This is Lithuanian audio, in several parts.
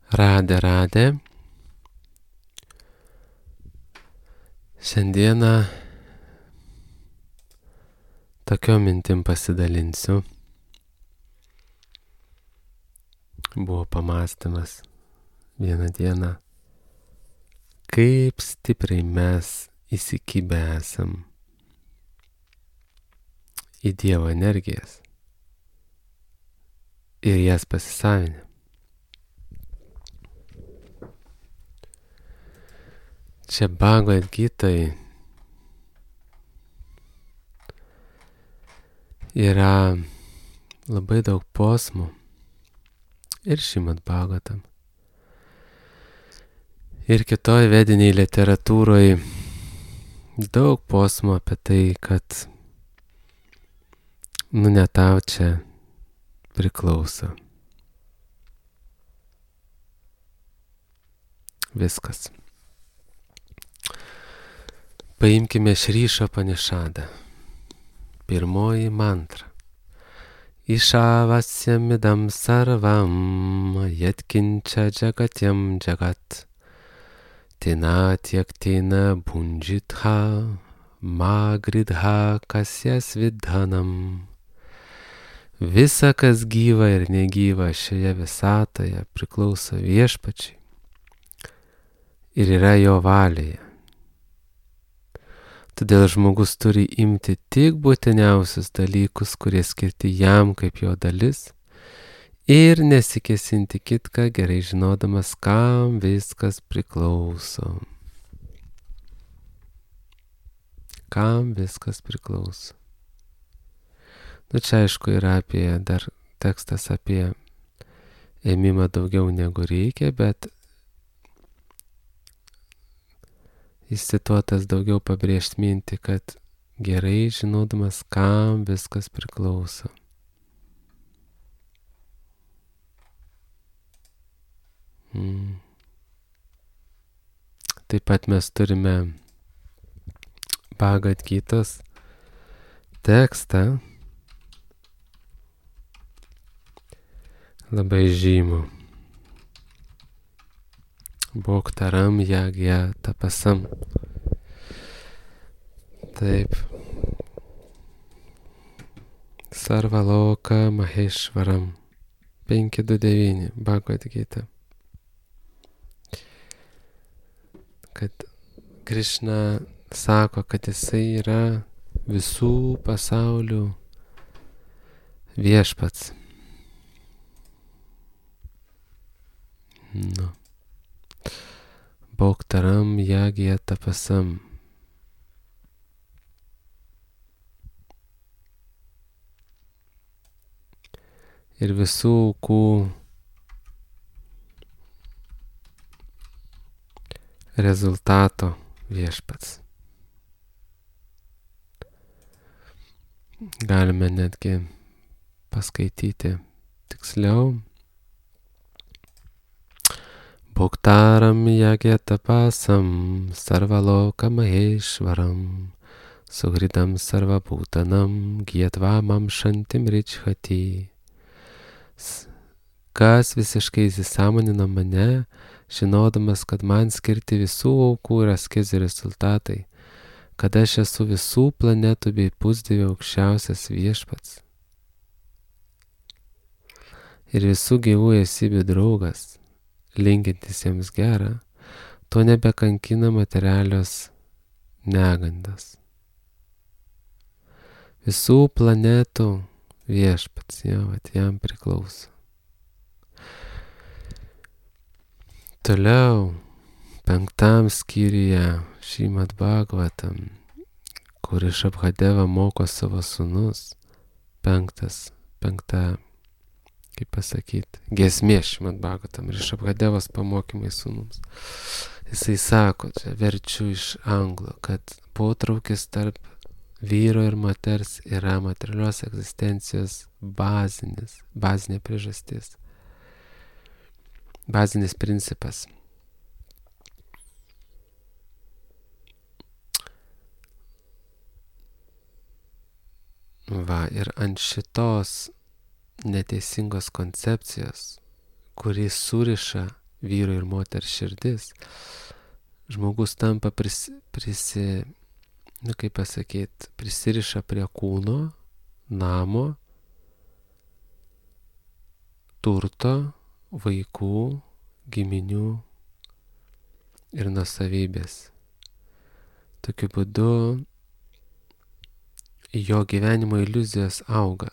Radė. Šiandieną tokiom mintim pasidalinsiu. Buvo pamąstymas vieną dieną, kaip stipriai mes įsikibę esam į Dievo energijas ir jas pasisavinę. Čia Bhagavad Gitoj yra labai daug posmų ir Šrimad Bhagavatam. Ir kitoj vediniai literatūroje daug posmų apie tai, kad ne tau čia priklauso. Viskas. Paimkime Šri Upanišadą. Pirmoji mantra. Išavasyamidam sarvam yatkinča jagatyam jagat tina tiektina bhunjitha magridha kasyas vidhanam. Visa, kas gyva ir negyva šioje visatoje, priklauso Viešpačiui ir yra jo valioje. Todėl žmogus turi imti tik būtiniausius dalykus, kurie skirti jam kaip jo dalis, ir nesikesinti kitką, gerai žinodamas, kam viskas priklauso. Kam viskas priklauso. Čia aišku yra dar tekstas apie ėmimą daugiau negu reikia, bet jis cituotas daugiau pabrėžti mintį, kad gerai žinodamas, kam viskas priklauso. Taip pat mes turime Bhagavad Gitos tekstą, labai žymų. Bhoktaram yagya tapasam. Taip. Sarvaloka Maheshvaram. 5.2.9 Bhagavad Gita. Kad Krishna sako, kad jisai yra visų pasaulių viešpats. Bhoktaram yagya tapasam. Ir visų aukų rezultato viešpats. Galime netgi paskaityti tiksliau. Bhoktaram yagya tapasam sarvaloka maheshvaram suhridam sarvabhutanam gyatvam shantim richhati. Kas visiškai įsisąmonina mane, žinodamas, kad man skirti visų aukų ir askezių rezultatai, kad aš esu visų planetų bei pusdievių aukščiausias viešpats ir visų gyvų esybių draugas, linkintis jiems gerą, to nebekankina materialios negandos. Visų planetų viešpats, jam priklauso. Toliau, 5 skyriuje Šrimad Bhagavatam, kur Rishabhadeva moko savo sūnus, 5, kaip pasakyti, giesmė Šrimad Bhagavatam, Rishabhadevos pamokymai sūnums. Jisai sako, čia verčiu iš anglų, kad potraukis tarp vyro ir moters yra materialios egzistencijos bazinė priežastis, bazinis principas. Ir ant šitos neteisingos koncepcijos, kuri suriša vyro ir moters širdis, žmogus tampa prisiriša prie kūno, namo, turto, vaikų, giminių ir nuosavybės. Tokiu būdu jo gyvenimo iliuzijos auga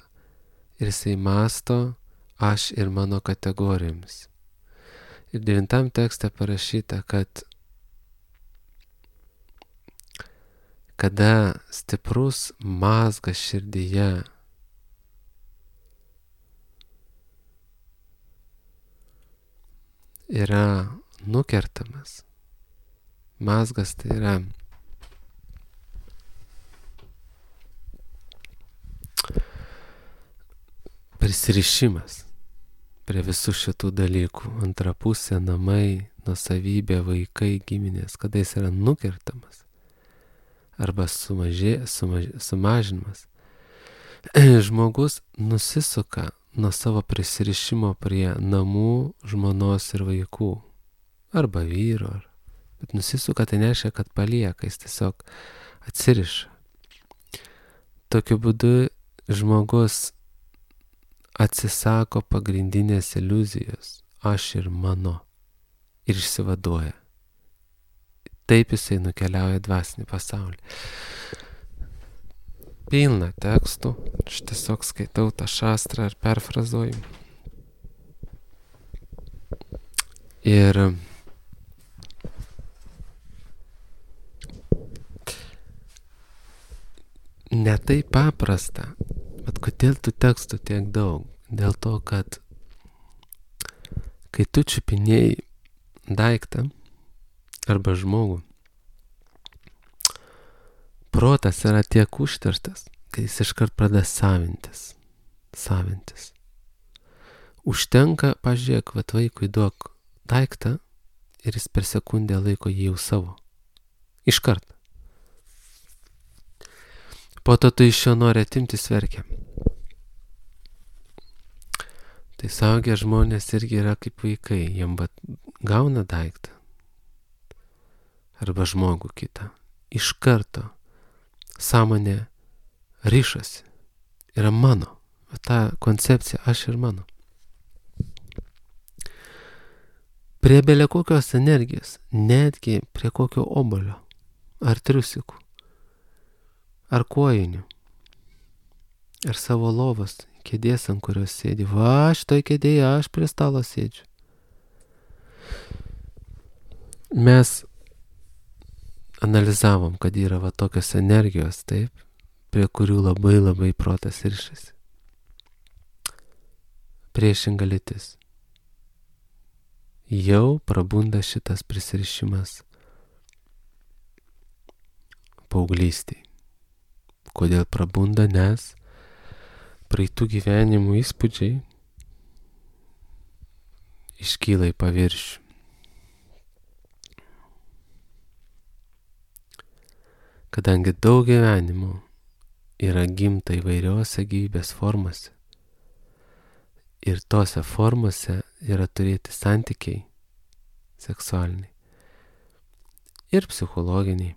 ir jisai mąsto aš ir mano kategorijomis. Ir 9 tekste parašyta, kad kada stiprus mazgas širdyje yra nukertamas, mazgas tai yra prisirišimas prie visų šitų dalykų, antra pusė, namai, nuosavybė, vaikai, giminės, kada jis yra nukertamas arba sumažinimas, žmogus nusisuka nuo savo prisirišimo prie namų, žmonos ir vaikų, arba vyro, bet nusisuka tai nereiškia, kad palieka, jis tiesiog atsiriša. Tokiu būdu žmogus atsisako pagrindinės iliuzijos, aš ir mano, ir išsivaduoja. Taip jisai nukeliauja dvasinį pasaulį. Pilna tekstų, aš tiesiog skaitau tą šastrą ir perfrazuoju. Ir ne taip paprasta. Bet kodėl tų tekstų tiek daug? Dėl to, kad kai tu čiupinėjai daiktą arba žmogų, protas yra tiek užterštas, kad jis iškart pradeda savintis. Užtenka, pažiūrėk, vat vaikui duok daiktą ir jis per sekundę laiko jį jau savo. Iškart. Po to tu iš jo nori atimti, verkia. Tai suaugę žmonės irgi yra kaip vaikai, jiem gauna daiktą arba žmogų kitą. Iš karto sąmonė ryšasi. Yra mano. Ta koncepcija aš ir mano. Prie belia kokios energijos, netgi prie kokio obuolio, ar triusikų, ar kojinių, ar savo lovos, kėdės, ant kurios sėdi. Va, šitoj kėdėje aš prie stalo sėdžiu. Mes analizavom, kad yra va tokios energijos, taip, prie kurių labai protas rišasi. Priešinga lytis. Jau prabunda šitas prisirišimas paauglystėj. Kodėl prabunda? Nes praeitų gyvenimų įspūdžiai iškyla į paviršių. Kadangi daug gyvenimų yra gimta įvairiose gyvybės formose ir tose formose yra turėti santykiai seksualiniai ir psichologiniai.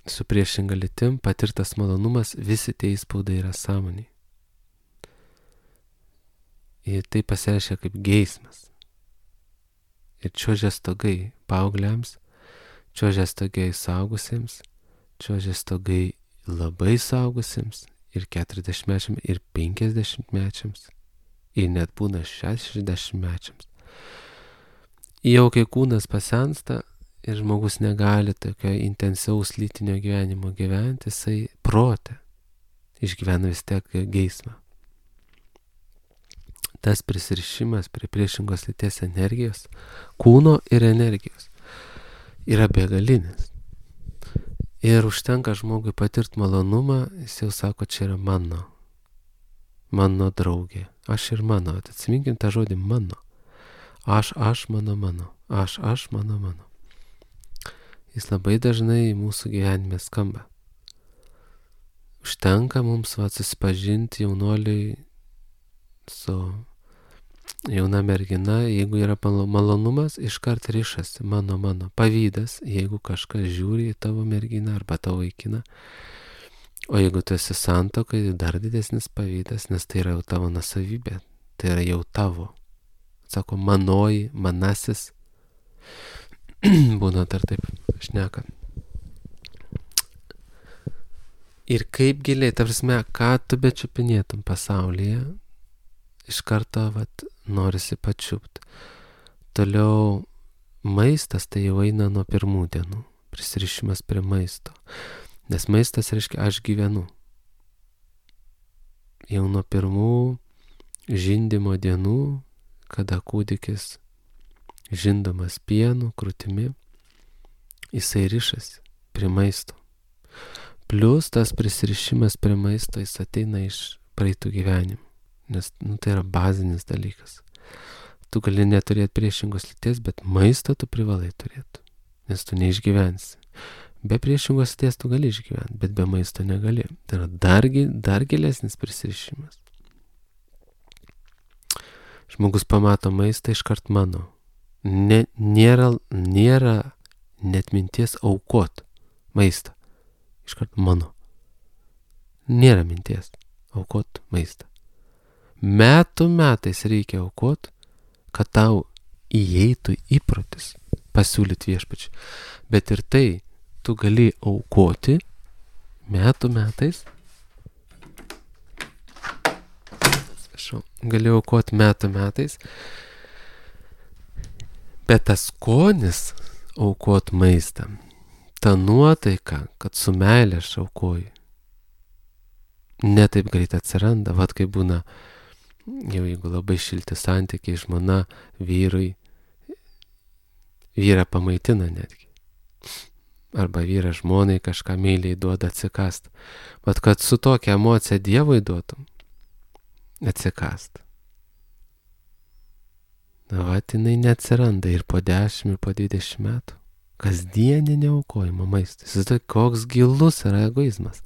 Su priešinga lytim patirtas malonumas, visi tie įspaudai yra sąmoniai. Ir tai pasireiškia kaip geismas. Ir čiuožia stogai paaugliams, čiuožia stogai suaugusiems, čiuožia stogai labai suaugusiems ir 40-mečiams, ir 50-mečiams, ir net būna 60-mečiams. Jau kai kūnas pasensta ir žmogus negali tokio intensyvaus lytinio gyvenimo gyventi, jisai prote išgyvena vis tiek geismą. Tas prisirišimas prie priešingos lyties energijos, kūno ir energijos yra begalinis. Ir užtenka žmogui patirti malonumą, jis jau sako, čia yra mano draugė, aš ir mano. Atsiminkim tą žodį mano. Aš, mano. Aš, mano. Jis labai dažnai mūsų gyvenime skamba. Užtenka mums susipažinti jaunuoliui su Jauna mergina, jeigu yra malonumas, iškart rišasi, mano, pavydas, jeigu kažkas žiūri į tavo merginą arba tavo vaikiną. O jeigu tu esi santuokai, dar didesnis pavydas, nes tai yra jau tavo nuosavybė, tai yra jau tavo. Sako, manoji, manasis, būna dar taip šneka. Ir kaip giliai, ta prasme, ką tu bečiupinėtum pasaulyje, iš karto norisi pačiupt. Toliau maistas tai jau eina nuo pirmų dienų, prisirišimas prie maisto. Nes maistas reiškia aš gyvenu. Jau nuo pirmų žindymo dienų, kada kūdikis žindomas pienu, krūtimi, jisai rišasi prie maisto. Plius tas prisirišimas prie maisto jis ateina iš praeitų gyvenimų. Nes tai yra bazinis dalykas. Tu gali neturėti priešingos lyties, bet maistą tu privalai turėti. Nes tu neišgyvensi. Be priešingos lyties tu gali išgyventi, bet be maisto negali. Tai yra dar gilesnis prisirišimas. Žmogus pamato maistą iškart mano. Nėra net minties aukot maistą. Iškart mano. Nėra minties aukot maistą. Metais reikia aukot, kad tau įeitų įprotis pasiūlyti viešpačiui. Bet ir tai tu gali aukoti metais. Gali aukoti metais. Bet tas skonis aukot maistą, ta nuotaika, kad su meilė aš aukoju, ne taip greit atsiranda. Vat kaip būna, jau jeigu labai šilti santykiai, žmona vyrui, vyrą pamaitina netgi. Arba vyras žmonai kažką meiliai duoda atsikast. Vat kad su tokia emocija Dievui duotum atsikast. Vat jinai neatsiranda ir po 10, ir po 20 metų. Kasdieninė aukojimo maistas. Tai koks gilus yra egoizmas.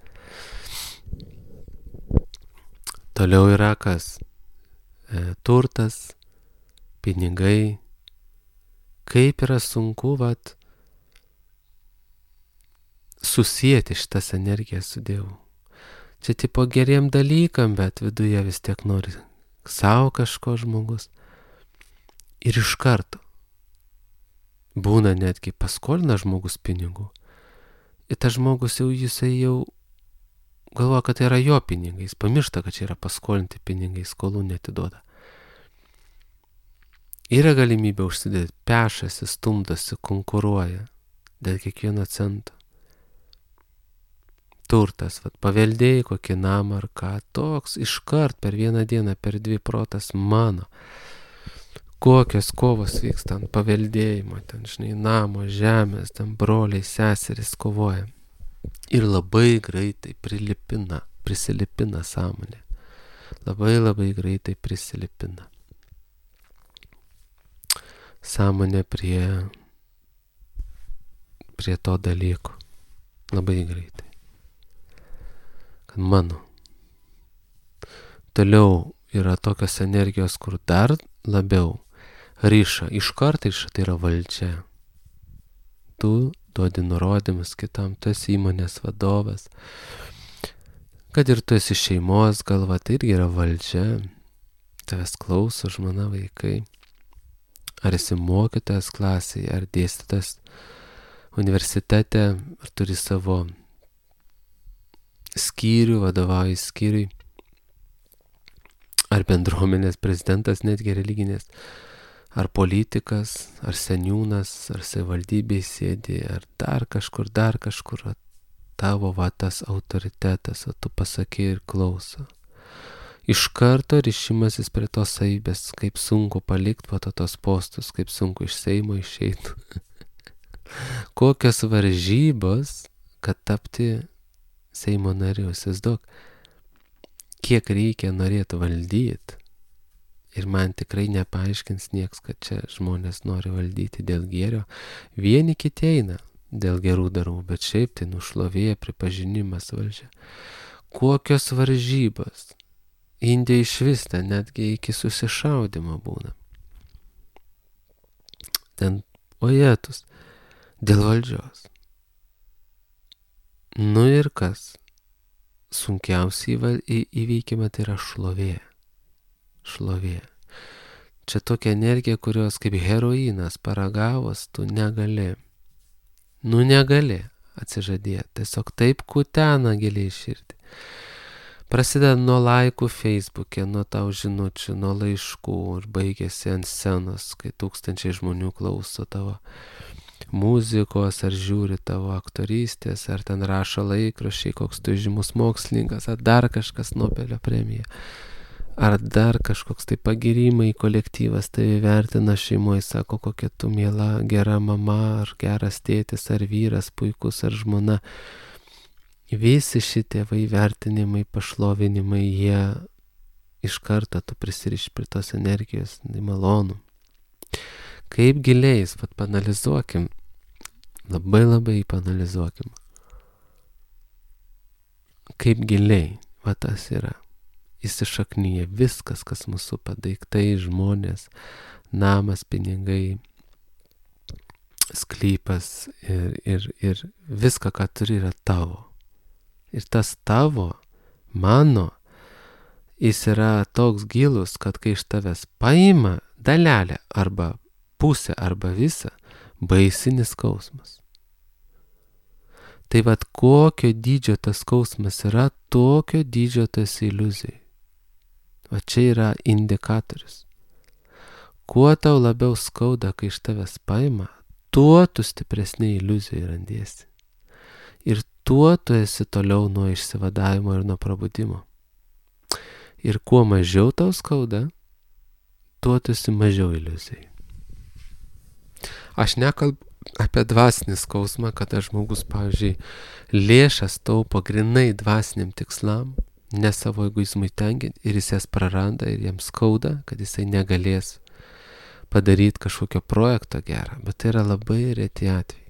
Toliau yra kas? Turtas, pinigai. Kaip yra sunku susijęti šitas energijas su Dievu. Čia tipo geriem dalykam, bet viduje vis tiek nori savo kažko žmogus. Ir iš karto būna netgi paskolina žmogus pinigų. Ir tas žmogus jisai jau galvoja, kad tai yra jo pinigai. Jis pamiršta, kad čia yra paskolinti pinigai, skolų netiduoda. Yra galimybė užsidėti, pešasi, stumdosi, konkuruoja dėl kiekvieno cento. Turtas, paveldėjai kokį namą ar ką, toks iškart per vieną dieną, per 2 protas mano. Kokios kovos vyksta ant paveldėjimo, ten, namo, žemės, ten broliai, seserys kovoja. Ir labai greitai prisilipina sąmonė. Labai greitai prisilipina. Sąmonė prie to dalyko. Labai greitai. Kad mano. Toliau yra tokios energijos, kur dar labiau ryša, iškart ryša, tai yra valdžia. Tu duodi nurodymus kitam, tu esi įmonės vadovas. Kad ir tu esi šeimos galva, tai irgi yra valdžia. Tavęs klauso žmona, vaikai. Ar esi mokytojas klasėje, ar dėstytas universitete, ar turi savo skyrių, vadovauji skyriui. Ar bendruomenės prezidentas, netgi religinės, ar politikas, ar seniūnas, ar savivaldybėje sėdi, ar dar kažkur, tavo tas autoritetas, o tu pasakė ir klauso. Iš karto ryšimasis prie tos savybės, kaip sunku palikti tos postus, kaip sunku iš Seimo išeiti. Kokios varžybos, kad tapti Seimo nariu, įsivaizduok. Kiek reikia norėti valdyti. Ir man tikrai nepaaiškins nieks, kad čia žmonės nori valdyti dėl gėrio. Vieni kiti eina dėl gerų darbų, bet šiaip tai nušlovėja, pripažinimas, valdžia. Kokios varžybos. Indija išvis ten netgi iki susišaudimo būna. Ten ojetus dėl valdžios. Nu ir kas? Sunkiausiai įveikima tai yra šlovė. Šlovė. Čia tokia energija, kurios kaip heroinas paragavus tu negali. Nu negali atsižadėti. Tiesiog taip kutena giliai širdį. Prasideda nuo laikų Facebook'e, nuo tau žinučių, nuo laiškų ir baigėsi ant scenos, kai tūkstančiai žmonių klauso tavo muzikos, ar žiūri tavo aktorystės, ar ten rašo laikraščiai, koks tu žymus mokslininkas, ar dar kažkas Nobelio premija, ar dar kažkoks tai pagirimai kolektyvas tai vertina šeimoje, sako, kokia tu miela, gera mama, ar geras tėtis, ar vyras, puikus, ar žmona. Visi šitie vertinimai, pašlovinimai, jie iš karto tu prisiriši prie tos energijos, tai malonu. Kaip giliais, panalizuokim, labai panalizuokim. Kaip giliai, tas yra. Įsišaknyja viskas, kas mūsų padaiktai, žmonės, namas, pinigai, sklypas ir viską, ką turi, yra tavo. Ir tas tavo, mano, jis yra toks gilus, kad kai iš tavęs paima dalelę arba pusę arba visą, baisinis skausmas. Tai kokio dydžio tas skausmas yra, tokio dydžio tas iliuzijai. Čia yra indikatorius. Kuo tau labiau skauda, kai iš tavęs paima, tuo tu stipresnė iliuzijai randiesi. Ir tuo tu esi toliau nuo išsivadavimo ir nuo prabudimo. Ir kuo mažiau tau skauda, tuo tu esi mažiau iliuzijai. Aš nekalbu apie dvasinį skausmą, kada žmogus, pavyzdžiui, lėšas taupo grinai dvasiniam tikslam, ne savo egoizmui tenkinti, ir jis jas praranda ir jam skauda, kad jisai negalės padaryti kažkokio projekto gerą, bet tai yra labai reti atvejai.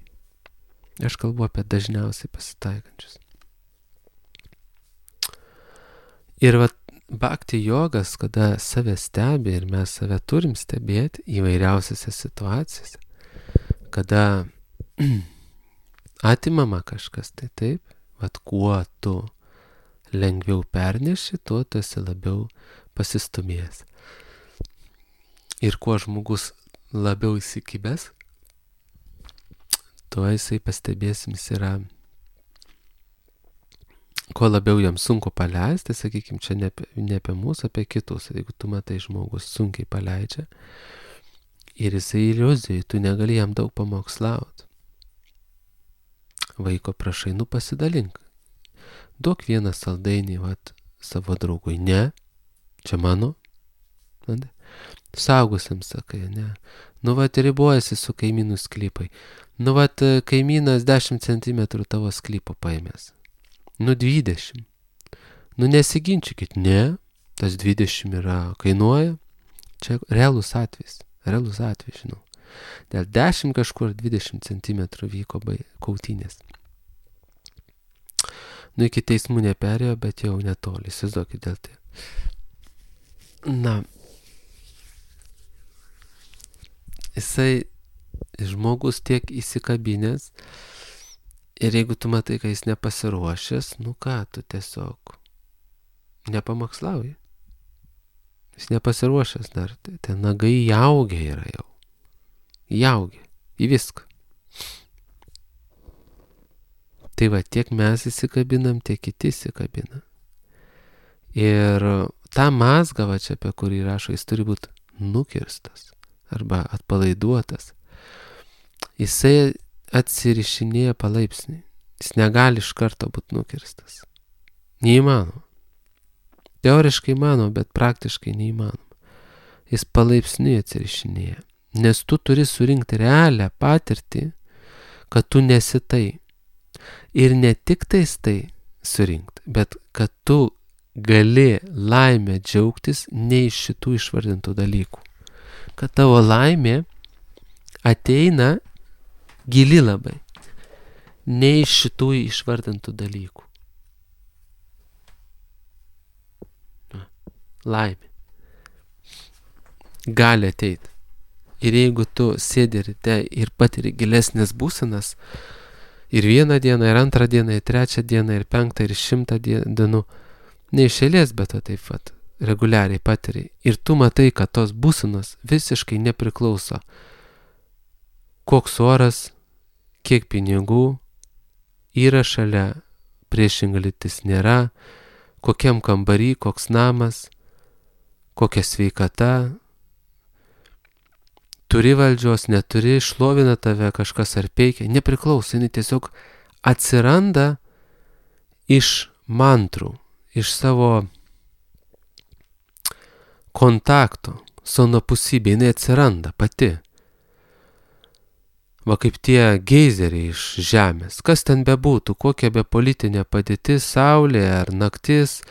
Aš kalbu apie dažniausiai pasitaikančius. Ir bhakti jogas, kada save stebi, ir mes save turim stebėti įvairiausiose situacijose, kada atimama kažkas, tai taip, kuo tu lengviau perneši, tuo tu esi labiau pasistumėjęs. Ir kuo žmogus labiau įsikibęs, tuo jisai pastebėsim, jis yra, kuo labiau jam sunku paleisti, sakykime, čia ne apie mūsų, apie kitus. Jeigu tu matai žmogus sunkiai paleidžia ir jisai iliuzijai, tu negali jam daug pamokslauti. Vaiko prašai, pasidalink. Duok vieną saldainį savo draugui. Ne, čia mano. Saugusiam sakai, ne. Ribojasi su kaimynų sklypai. Kaimynas 10 cm tavo sklypo paėmės. 20. Nesiginčykit. Ne, tas 20 kainuoja. Čia realus atvejis, žinau. Dėl 10 kažkur 20 cm vyko kautynės. Iki teismų neperėjo, bet jau netoli. Įsivaizduokit dėl tai. Jisai žmogus tiek įsikabinęs ir jeigu tu matai, kad jis nepasiruošęs, tu tiesiog nepamokslauji. Jis nepasiruošęs dar, ten nagai įaugę yra jau. Įaugę į viską. Tai tiek mes įsikabinam, tiek kiti įsikabina. Ir tą mazgą, čia apie kurį rašo, jis turi būti nukirstas arba atpalaiduotas. Jisai atsirišinėja palaipsniui. Jis negali iš karto būti nukirstas. Neįmanoma. Teoriškai įmanoma, bet praktiškai neįmanoma. Jis palaipsniui atsirišinėja. Nes tu turi surinkti realią patirtį, kad tu nesi tai. Ir ne tik tais tai surinkti, bet kad tu gali laimę džiaugtis ne iš šitų išvardintų dalykų. Kad tavo laimė ateina gili labai, ne iš šitų išvardintų dalykų. laimė. Gali ateiti. Ir jeigu tu sėdi ryte ir patiri gilesnės būsenas, ir vieną dieną, ir antrą dieną, ir trečią dieną, ir penktą, ir 100 dienų, ne iš eilės, bet taip pat reguliariai patiri. Ir tu matai, kad tos būsenos visiškai nepriklauso. Koks oras, kiek pinigų yra šalia, priešinga lytis nėra, kokiam kambarį, koks namas, kokia sveikata, turi valdžios, neturi, šlovina tave kažkas ar peikia, nepriklauso, jinai tiesiog atsiranda iš mantrų, iš savo kontakto, su anapusybė, jinai atsiranda pati. Va kaip tie geizeriai iš žemės, kas ten bebūtų, kokia be politinė padėtis, saulė ar naktis,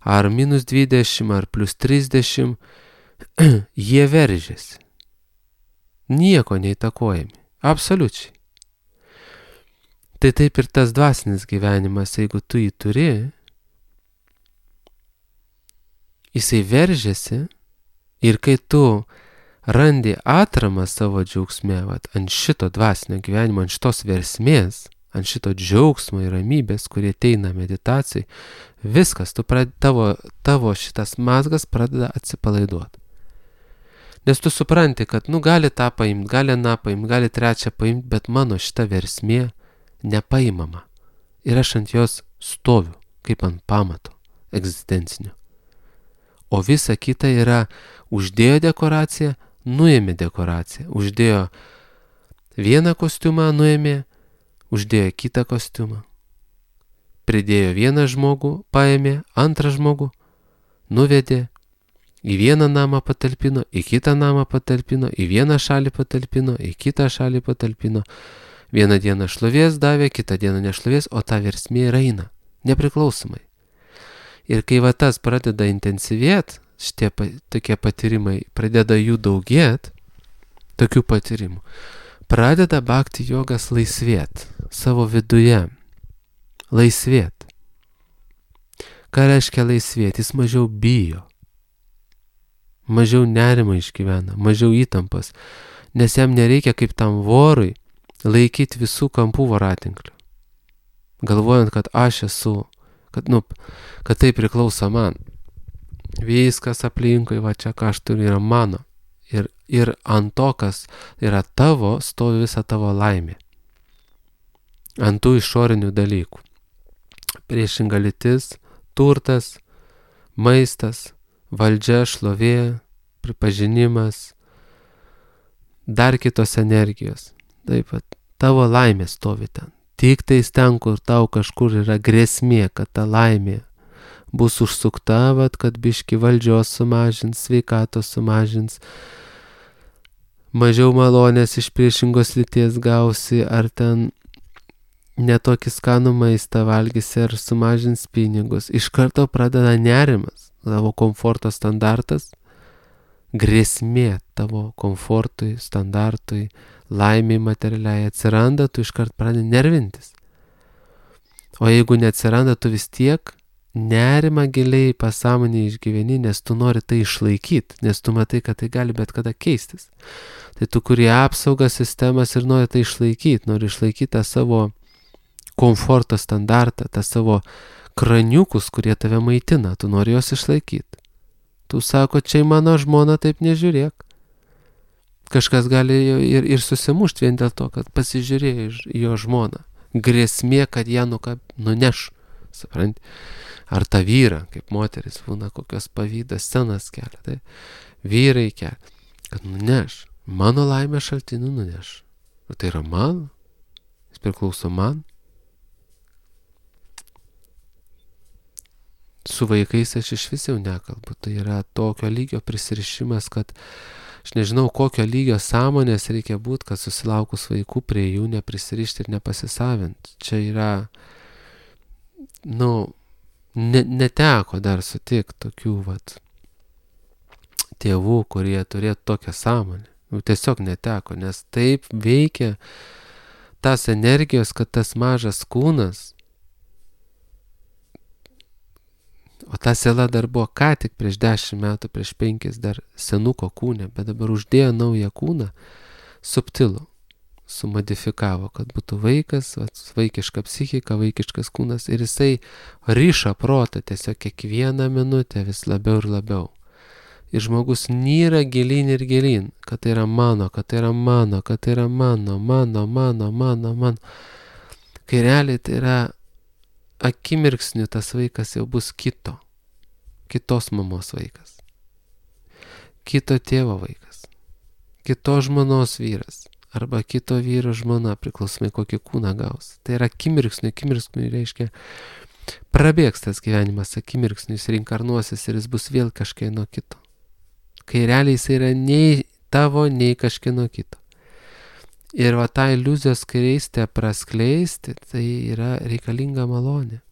ar -20, ar +30, jie veržiasi. Nieko neįtakojami. Absoliučiai. Tai taip ir tas dvasinis gyvenimas, jeigu tu jį turi, jisai veržiasi ir kai tu randi atramą savo džiaugsme, ant šito dvasinio gyvenimo, ant šitos versmės, ant šito džiaugsmo ir ramybės, kurie ateina meditacijai, viskas, tavo šitas mazgas pradeda atsipalaiduoti. Nes tu supranti, kad gali tą paimti, gali aną paimti, gali trečią paimti, bet mano šita versmė nepaimama. Ir aš ant jos stoviu, kaip ant pamato egzistencinio. O visa kita yra uždėjo dekoraciją, nuėmė dekoraciją. Uždėjo vieną kostiumą, nuėmė, uždėjo kitą kostiumą. Pridėjo vieną žmogų, paėmė antrą žmogų, nuvedė, į vieną namą patalpino, į kitą namą patalpino, į vieną šalį patalpino, į kitą šalį patalpino. Vieną dieną šlovės davė, kitą dieną nešlovės, o ta versmė eina, nepriklausomai. Ir kai tas pradeda intensyvėti, šitie tokie patyrimai, pradeda jų daugėti, tokių patyrimų, pradeda bhakti jogas laisvėti savo viduje. Laisvėti. Ką reiškia laisvėti? Jis mažiau bijo. Mažiau nerimo išgyvena, mažiau įtampas, nes jam nereikia kaip tam vorui laikyti visų kampų voratinklių. Galvojant, kad aš esu, kad tai priklauso man. Viskas aplinkui, čia ką aš turiu, yra mano. Ir ant to, kas yra tavo, stovi visa tavo laimė. Ant tų išorinių dalykų. Priešinga lytis, turtas, maistas, valdžia, šlovė, pripažinimas, dar kitos energijos. Taip pat tavo laimė stovi ten. Tik tais ten, kur tau kažkur yra grėsmė, kad ta laimė bus užsukta, kad biški valdžios sumažins, sveikatos sumažins, mažiau malonės iš priešingos lyties gausi, ar ten netokį skanų maistą valgysi, ar sumažins pinigus. Iš karto pradeda nerimas. Tavo komforto standartas, grėsmė tavo komfortui, standartui, laimiai materialiai atsiranda, tu iškart pradedi nervintis. O jeigu neatsiranda, tu vis tiek nerimą giliai pasąmonėje išgyveni, nes tu nori tai išlaikyti, nes tu matai, kad tai gali bet kada keistis. Tai tu kuri apsaugas sistemas ir nori tai išlaikyti, nori išlaikyti tą savo komforto standartą, tą savo kraniukus, kurie tave maitina, tu nori juos išlaikyti. Tu sako, čia mano žmona, taip nežiūrėk. Kažkas gali ir susimušti vien dėl to, kad pasižiūrėjo į jo žmoną. Grėsmė, kad ją nuneš, supranti. Ar tą vyrą, kaip moteris, būna kokios pavydas scenas kelia. Tai vyrai kelia, kad nuneš. Mano laimę šaltinių nuneš. Ir tai yra man, jis priklauso man. Su vaikais aš iš vis jau nekalbu. Tai yra tokio lygio prisirišimas, kad aš nežinau, kokio lygio sąmonės reikia būti, kad susilaukus vaikų prie jų neprisirišti ir nepasisavinti. Čia yra, neteko dar sutikti tokių tėvų, kurie turėtų tokią sąmonę. Tiesiog neteko, nes taip veikia tas energijos, kad tas mažas kūnas, O ta siela dar buvo ką tik prieš 10 metų, prieš 5 dar senuko kūne, bet dabar uždėjo naują kūną, subtilų, sumodifikavo, kad būtų vaikas, vaikiška psichika, vaikiškas kūnas ir jisai ryša protą tiesiog kiekvieną minutę vis labiau ir labiau. Ir žmogus nyra gilyn ir gilyn, kad tai yra mano, kad tai yra mano, kad tai yra mano. Kai realiai tai yra akimirksniu tas vaikas jau bus kitos mamos vaikas, kito tėvo vaikas, kitos žmonos vyras arba kito vyro žmona, priklausomai kokį kūną gaus. Tai yra akimirksniu reiškia prabėgs tas gyvenimas, akimirksniu jis reinkarnuosis ir jis bus vėl kažkieno kito. Kai realiai jis yra nei tavo, nei kažkieno kito. Ir va tą iliuzijos skraistę praskleisti, tai yra reikalinga malonė.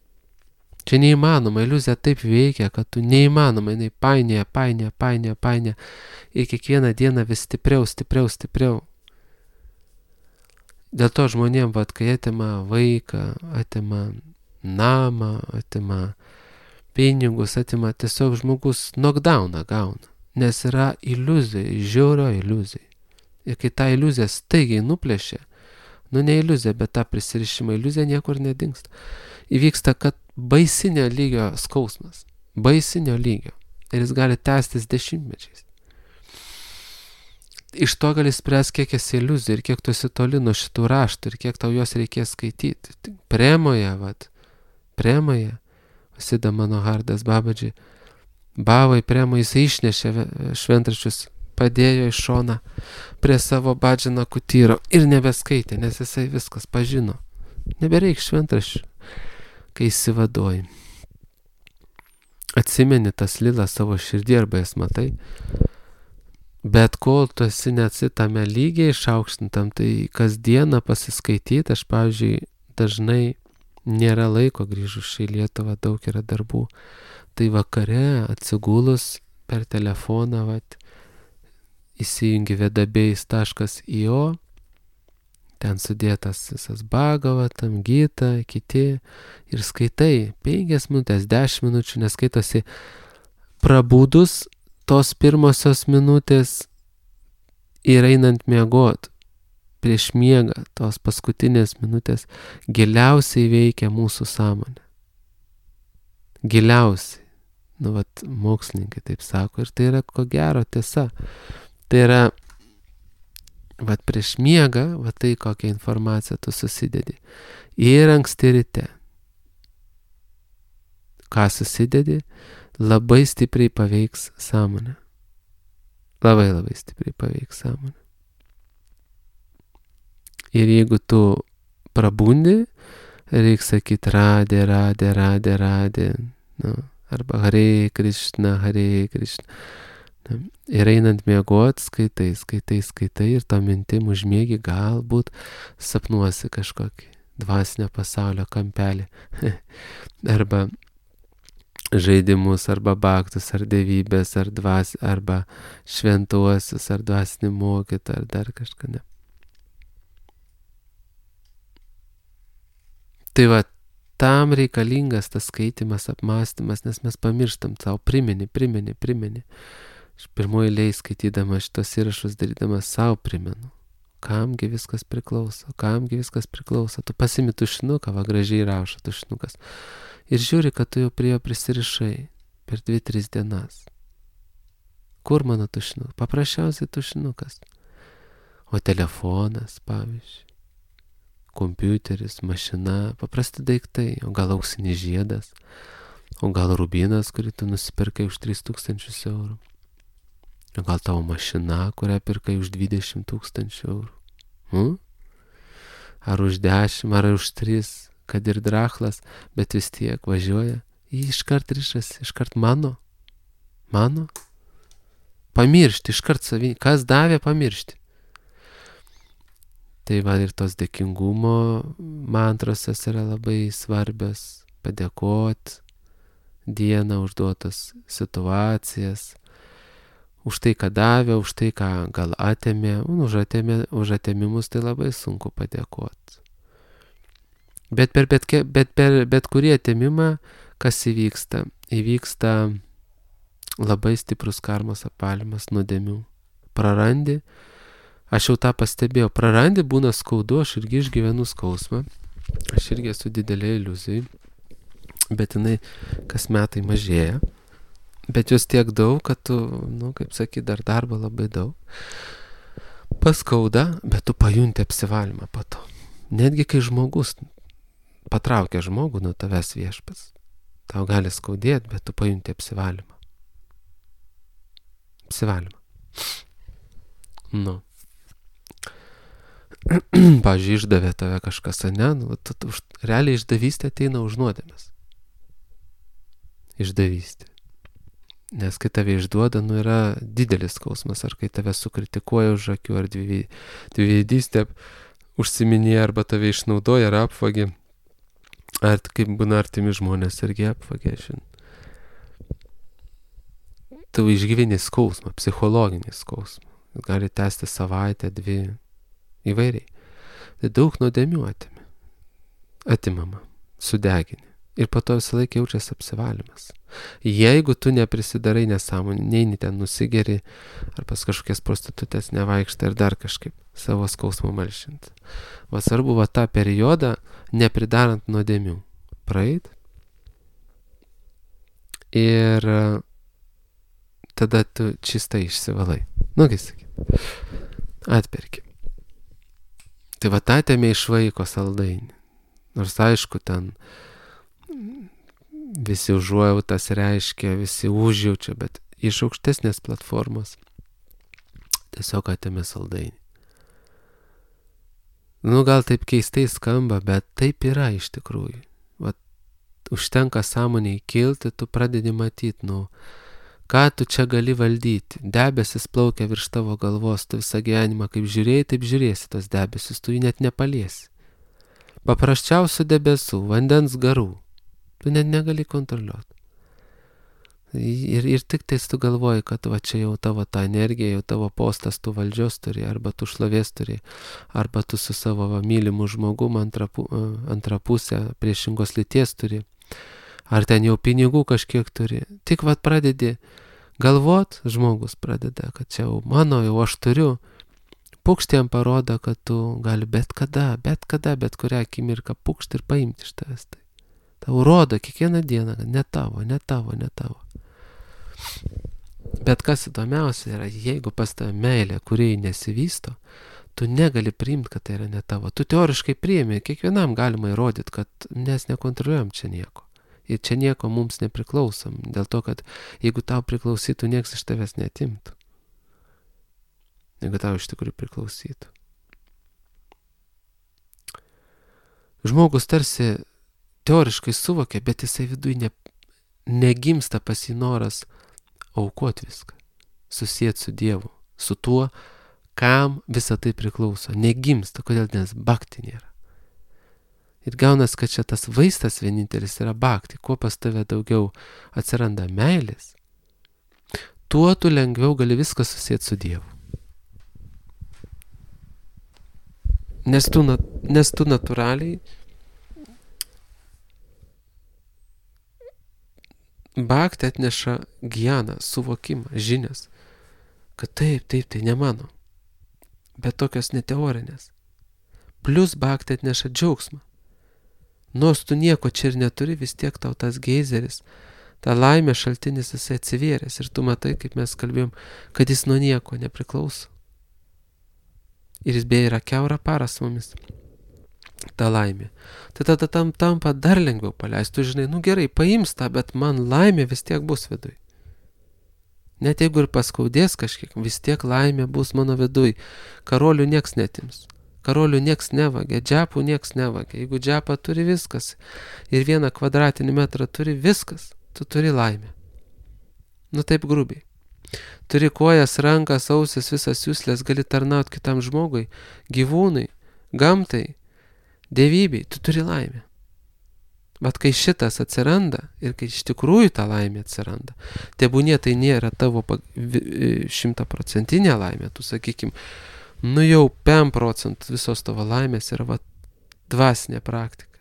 Čia neįmanoma, iliuzija taip veikia, kad tu neįmanoma, jinai painioja. Ir kiekvieną dieną vis stipriau. Dėl to žmonėm, kai atima vaiką, atima namą, atima pinigus, atima tiesiog žmogus knockdowną gauna. Nes yra iliuzija, žiaurio iliuzija. Ir kai tą iliuziją staigiai nuplėšia, ne iliuzija, bet tą prisirišimą iliuzija niekur nedingsta. Įvyksta, kad baisinio lygio skausmas. Baisinio lygio. Ir jis gali tęstis dešimtmečiais. Iš to gali spręs, kiek esi iliuzija ir kiek tu esi toli nuo šitų raštų ir kiek tau jos reikės skaityti. Premoje, Vasida Manohardas Babadži, Bavai Premo, jis išnešė šventraščius, padėjo į šoną prie savo Badžino kutyro ir nebeskaitė, nes jisai viskas pažino. Nebereik šventraščių, kai įsivaduoji. Atsimeni tas lilas savo širdį arba jas matai, bet kol tu esi neatsitame lygiai išaukštintam, tai kasdieną pasiskaityti, aš, pavyzdžiui, dažnai nėra laiko grįžus į Lietuvą, daug yra darbų. Tai vakare atsigulus per telefoną, įsijungi vedabėjais.io, ten sudėtas visas Bhagavatam, Gita, kiti, ir skaitai 5 minutės, 10 minučių, neskaitosi prabudus tos pirmosios minutės ir einant miegot. Prieš miegą tos paskutinės minutės giliausiai veikia mūsų sąmonė. Giliausiai. Mokslininkai taip sako, ir tai yra ko gero tiesa. Tai yra, prieš miegą, tai kokią informaciją tu susidedi. Ir anksti ryte. Ką susidedi, labai stipriai paveiks sąmonę. Labai stipriai paveiks sąmonę. Ir jeigu tu prabundi, reikia sakyti radė, arba Hare Krishna. Ir einant miegot, skaitai ir to mintim užmiegi, galbūt sapnuosi kažkokį dvasinio pasaulio kampelį. Arba žaidimus, arba baktus, ar dievybės, arba šventuosius, ar dvasinį mokytą, ar dar kažką. Ne. Tai tam reikalingas tas skaitimas, apmąstymas, nes mes pamirštam savo, primeni. Aš pirmoji eilėje skaitydama šitos įrašus, darydamas savo primenu, kamgi viskas priklauso. Tu pasimi tušinuką, gražiai rašo tušinukas. Ir žiūri, kad tu jau prie jo prisirišai per 2-3 dienas. Kur mano tušinukas? Paprasčiausiai tušinukas. O telefonas, pavyzdžiui, kompiuteris, mašina, paprasti daiktai, o gal auksinis žiedas, o gal rubinas, kurį tu nusipirkai už 3000 eurų, o gal tavo mašina, kurią pirkai už 20 000 eurų, ar už 10, ar už 3, kad ir drachlas, bet vis tiek važiuoja, jį iškart rišasi, iškart mano, pamiršti, iškart savį, kas davė pamiršti. Tai ir tos dėkingumo mantrosas yra labai svarbios, padėkot dieną užduotas situacijas, už tai, ką davė, už tai, ką gal atėmė, už atėmimus tai labai sunku padėkot. Bet per bet kurį atėmimą kas įvyksta? Įvyksta labai stiprus karmos apvalymas nuodėmių. Prarandi, aš jau tą pastebėjau, prarandi, būna skaudu, aš irgi išgyvenu skausmą, aš irgi esu didelė iliuzija, bet jinai kas metai mažėja, bet jos tiek daug, kad tu, kaip sakyt, dar darbo labai daug. Paskauda, bet tu pajunti apsivalymą po to. Netgi kai žmogus patraukia žmogų nuo tavęs viešpats, tau gali skaudėti, bet tu pajunti apsivalymą. Apsivalymą. Pavyzdžiui, išdavė tave kažkas, ne? Realiai išdavystė ateina už nuodėmes. Išdavystė. Nes kai tave išduoda, yra didelis skausmas, ar kai tave sukritikuoja už akių, ar dviveidystė užsiminėja, arba tave išnaudoja, ar apvagė, ar kaip būna artimi žmonės, irgi apvagė. Tu išgyveni skausmą, psichologinį skausmą. Gali tęsti savaitę, 2, įvairiai. Tai daug nuodėmių atimama, sudegini. Ir po to visą laiką jaučiasi apsivalymas. Jeigu tu neprisidarai nesąmonį, neini ten nusigeri, ar pas kažkokias prostitutės nevaikštai, ar dar kažkaip savo skausmą malšinti. Svarbu tą periodą, nepridarant nuodėmių, praeit. Ir tada tu čistai išsivalai. Kaip sakyt, atperki. Tai atėmė iš vaiko saldainį. Nors aišku, ten visi užuojautas reiškia, visi užjaučia, bet iš aukštesnės platformos tiesiog atėmė saldainį. Gal taip keistai skamba, bet taip yra iš tikrųjų. Užtenka sąmonėj kilti, tu pradedi matyti, ką tu čia gali valdyti. Debesis plaukia virš tavo galvos, tu visą gyvenimą kaip žiūrėjai, taip žiūrėsi tos debesis, tu jį net nepaliesi. Paprasčiausių debesų, vandens garų. Tu net negali kontroliuoti. Ir tik tais tu galvoji, kad čia jau tavo ta energija, jau tavo postas, tu valdžios turi, arba tu šlovės turi, arba tu su savo mylimu žmogum antrą pusę priešingos lyties turi, ar ten jau pinigų kažkiek turi. Tik pradedi galvot, žmogus pradeda, kad čia jau mano, jau aš turiu. Pukšt jam parodo, kad tu gali bet kurią akimirką pukšt ir paimti iš tavęs. Tau rodo kiekvieną dieną, kad ne tavo. Bet kas įdomiausia yra, jeigu pas tave meilė, kuriai nesivysto, tu negali priimti, kad tai yra ne tavo. Tu teoriškai priimi, kiekvienam galima įrodyti, kad mes nekontroliuojam čia nieko. Ir čia nieko mums nepriklausom, dėl to, kad jeigu tau priklausytų, nieks iš tavęs neatimtų. Jeigu tau iš tikrųjų priklausytų. Žmogus tarsi teoriškai suvokia, bet jisai viduje negimsta pas jį noras aukoti viską, susieti su Dievu, su tuo, kam visa tai priklauso. Negimsta, kodėl, nes bhakti nėra. Ir gaunas, kad čia tas vaistas vienintelis yra bhakti. Kuo pas tave daugiau atsiranda meilės, tuo tu lengviau gali viską susieti su Dievu. Nes tu natūraliai bhakti atneša gyaną, suvokimą, žinias, kad taip, tai ne mano, bet tokios neteorinės. Plus bhakti atneša džiaugsmą. Nors tu nieko čia ir neturi, vis tiek tau tas geizeris, ta laimė šaltinis jisai atsivėręs ir tu matai, kaip mes kalbėjom, kad jis nuo nieko nepriklauso. Ir jis beje yra kiaurą parą su mumis. Ta laimė. Tai tada tampa dar lengviau paleisti. Tu žinai, gerai, paims tą, bet man laimė vis tiek bus viduj. Net jeigu ir paskaudės kažkiek, vis tiek laimė bus mano viduj. Karolių nieks netims. Karolių nieks nevagia, džepų nieks nevagia. Jeigu džepą turi viskas ir 1 kvadratinį metrą turi viskas, tu turi laimę. Taip grubiai. Turi kojas, rankas, ausis, visas jūslės, gali tarnauti kitam žmogui, gyvūnai, gamtai, dievybei, tu turi laimę. Bet kai šitas atsiranda ir kai iš tikrųjų ta laimė atsiranda, tebūnie tai nėra tavo 100% laimė, tu sakykim, jau 5% visos tavo laimės yra dvasinė praktika.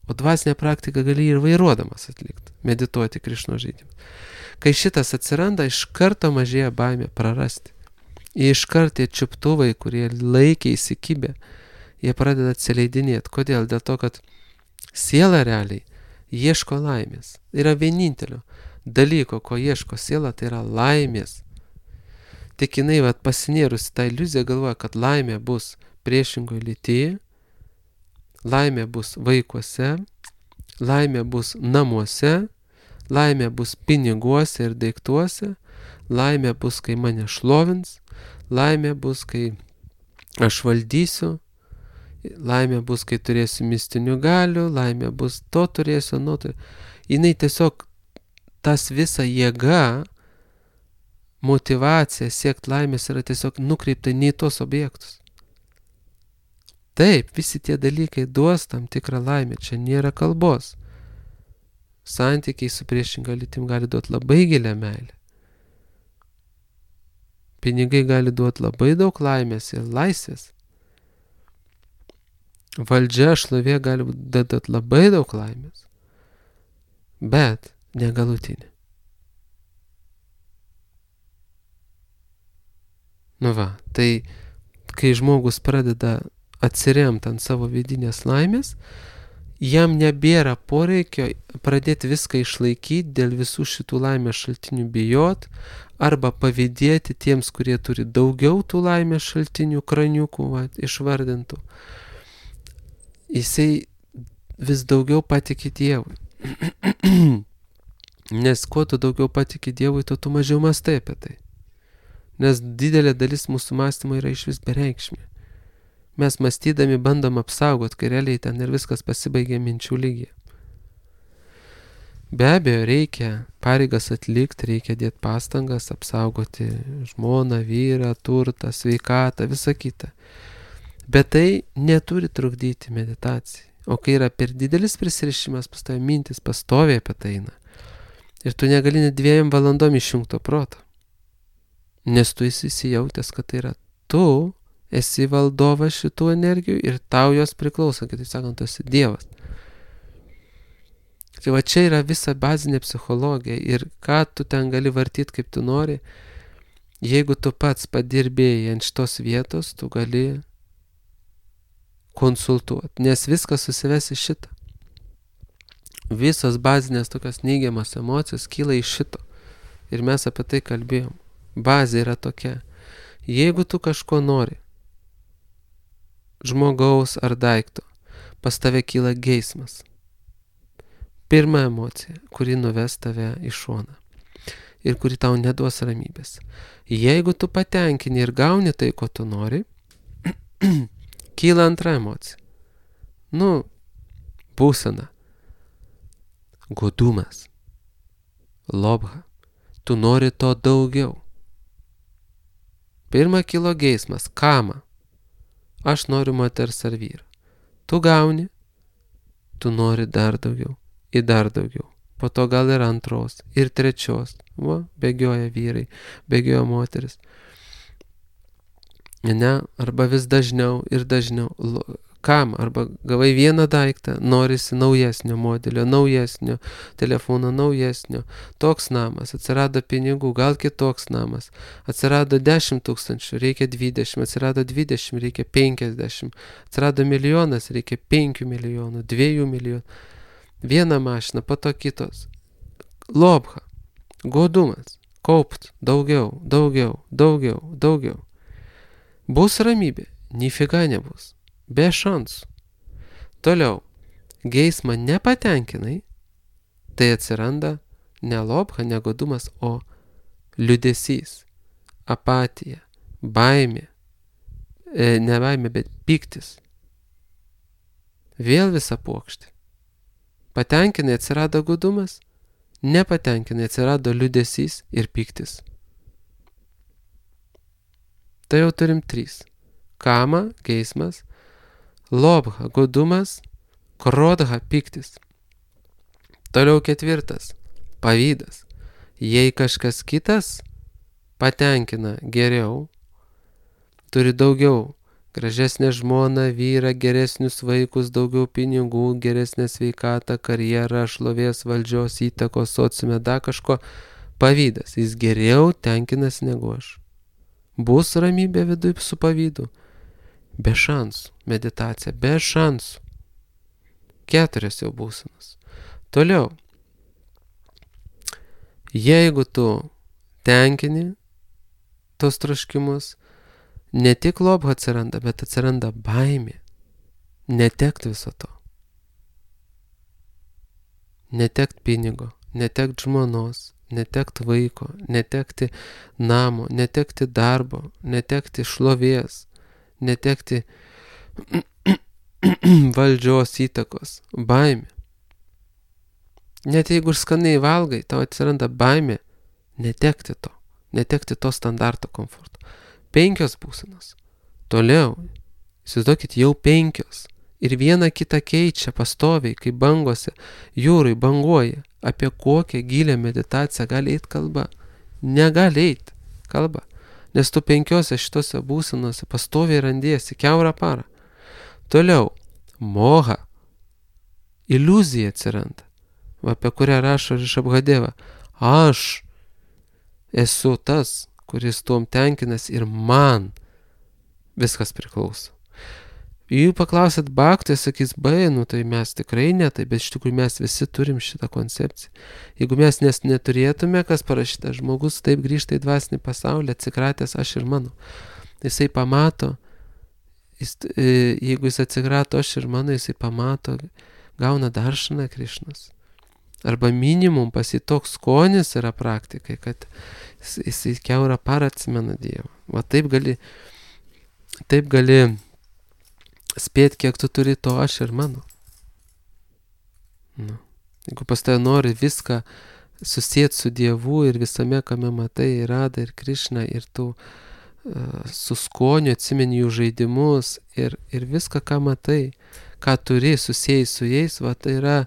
O dvasinę praktiką gali ir vairuodamas atlikti, medituoti Krišnos žaidimus. Kai šitas atsiranda, iš karto mažėja baimė prarasti. Iš karto tie čiuptuvai, kurie laikė įsikibę, jie pradeda atsileidinėti. Kodėl? Dėl to, kad siela realiai ieško laimės. Yra vienintelio dalyko, ko ieško siela, tai yra laimės. Tik jinai pasinėrusi tą iliuziją galvoja, kad laimė bus priešingoje lytyje, laimė bus vaikuose, laimė bus namuose, laimė bus piniguose ir daiktuose, laimė bus, kai mane šlovins, laimė bus, kai aš valdysiu, laimė bus, kai turėsiu mistinių galių, laimė bus, to turėsiu, nuo to. Jinai tiesiog tas visa jėga, motivacija siekti laimės yra tiesiog nukreipta ne į tos objektus. Taip, visi tie dalykai duos tam tikrą laimę, čia nėra kalbos. Santykiai su priešinga lytim gali duoti labai gilią meilę. Pinigai gali duoti labai daug laimės ir laisvės. Valdžia, šlovė gali duoti labai daug laimės. Bet negalutinė. Tai kai žmogus pradeda atsiremti ant savo vidinės laimės, jam nebėra poreikio pradėti viską išlaikyti, dėl visų šitų laimės šaltinių bijot, arba pavydėti tiems, kurie turi daugiau tų laimės šaltinių, kraniukų išvardintų. Jisai vis daugiau patiki Dievui. Nes kuo tu daugiau patiki Dievui, tu mažiau mąstai apie tai. Nes didelė dalis mūsų mąstymo yra iš vis bereikšmė. Mes mąstydami bandom apsaugot, kai realiai ten ir viskas pasibaigia minčių lygyje. Be abejo, reikia pareigas atlikti, reikia dėti pastangas, apsaugoti žmoną, vyrą, turtą, sveikatą, visą kitą. Bet tai neturi trukdyti meditacijai. O kai yra per didelis prisirišimas, pas tave mintis pastoviai apie tai eina. Ir tu negali net 2 valandom išjungto proto. Nes tu esi įsijautęs, kad tai yra tu esi valdovas šitų energijų ir tau jos priklauso, kitaip sakant, tu esi Dievas. Tai čia yra visa bazinė psichologija ir ką tu ten gali vartyti kaip tu nori, jeigu tu pats padirbėjai ant šitos vietos, tu gali konsultuoti, nes viskas susives į šitą. Visos bazinės tokios neigiamas emocijos kyla iš šito. Ir mes apie tai kalbėjom. Bazė yra tokia. Jeigu tu kažko nori, žmogaus ar daikto, pas tave kyla geismas. Pirma emocija, kuri nuves tave į šoną ir kuri tau neduos ramybės. Jeigu tu patenkini ir gauni tai, ko tu nori, kyla antra emocija. Būsena. Godumas. Lobha. Tu nori to daugiau. Pirma kilo geismas. Kama. Aš noriu moters ar vyro. Tu gauni. Tu nori dar daugiau. Ir dar daugiau. Po to gal ir antros. Ir trečios. Bėgioja vyrai. Bėgioja moteris. Ne, arba vis dažniau ir dažniau. Kam? Arba gavai vieną daiktą, norisi naujesnio modelio, naujesnio telefono, naujesnio. Toks namas, atsirado pinigų, gal kitoks namas. Atsirado 10 000, reikia 20, atsirado 20, reikia 50. Atsirado milijonas, reikia 5 milijonų, 2 milijonų. Viena mašina, po to kitos. Lobha, godumas, kaupt, daugiau. Bus ramybė, nifiga nebus. Be šansų. Toliau, geismą nepatenkinai, tai atsiranda ne lobha, ne godumas, o liūdesys, apatija, baimė, ne baimė, bet pyktis. Vėl visa puokštė. Patenkinai atsirado godumas, nepatenkinai atsirado liūdesys ir pyktis. Tai jau turim 3. Kama, geismas, lobha, godumas, krodha, pyktis. Toliau 4. Pavydas. Jei kažkas kitas patenkina geriau, turi daugiau gražesnę žmoną, vyrą, geresnius vaikus, daugiau pinigų, geresnę sveikatą, karjerą, šlovės, valdžios, įtakos, sociume, dar kažko. Pavydas. Jis geriau tenkinasi negu aš. Bus ramybė viduje su pavydu. Be šansų. Meditacija. Be šansų. 4 jau būsenos. Toliau. Jeigu tu tenkini tos troškimus, ne tik lobha atsiranda, bet atsiranda baimė. Netekt viso to. Netekt pinigo, netekt žmonos, netekt vaiko, netekti namo, netekti darbo, netekti šlovės, netekti valdžios įtakos, baimė. Net jeigu ir skaniai valgai, tau atsiranda baimė netekti to standarto komforto. 5 būsenos. Toliau, įsivaizduokit, jau 5. Ir viena kitą keičia pastoviai, kaip bangose, jūrai banguoja. Apie kokią gilę meditaciją gali eiti kalba? Negali eiti kalba. Nes tu 5 šitose būsenose pastoviai randiesi kiaurą parą. Toliau, moha. Iliuzija atsiranda, apie kurią rašo Rishabhadeva. Aš esu tas, kuris tuom tenkinas ir man viskas priklauso. Jeigu paklausit bhaktų, sakys, tai mes tikrai ne, tai bet iš tikrųjų mes visi turim šitą koncepciją. Jeigu mes neturėtume, kas parašyta, žmogus taip grįžta į dvasinį pasaulį, atsikratęs aš ir mano. Jisai pamato, jeigu jis atsikrato aš ir mano, jisai pamato, gauna daršaną Krišnos. Arba minimum pas jį toks skonis yra praktikai, kad jisai kiaurą parą atsimena Dievą. Va taip gali spėt, kiek tu turi to aš ir mano. Jeigu pas tave nori viską susijęti su Dievu ir visame, kame matai, ir Radha, ir Krišna, ir tu su skoniu atsimeni jų žaidimus ir viską, ką matai, ką turi susijęs su jais, va tai yra